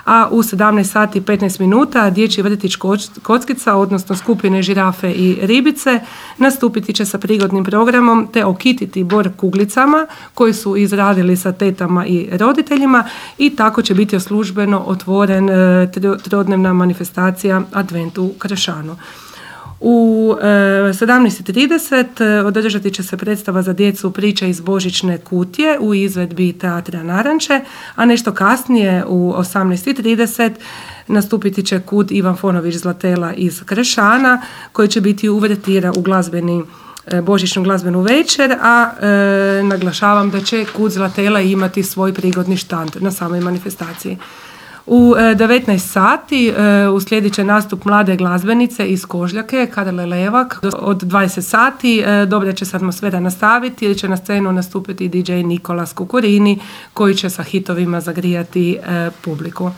a u 17 sati i 15 minuta dječji vrtić Kockica, odnosno skupine Žirafe i ribice, nastupiti će sa prigodnim programom te okititi bor kuglicama koji su izradili sa tetama i roditeljima i tako će biti službeno otvoren trodnevna manifestacija Advent u Kršanu. U 17:30 održati će se predstava za djecu Priče iz Božićne kutije u izvedbi Teatra Naranče, a nešto kasnije u 18:30 nastupiti će Kud Ivan Fonović Zlatela iz Kršana koji će biti uvertira u božićnu glazbenu večer, a naglašavam da će Kud Zlatela imati svoj prigodni štand na samoj manifestaciji. U 19 sati uslijedit će nastup mlade glazbenice iz Kožljake, Karle Levak. Od 20 sati dobra će se atmosfera nastaviti jer će na scenu nastupiti DJ Nikolas Kukurini koji će sa hitovima zagrijati publiku.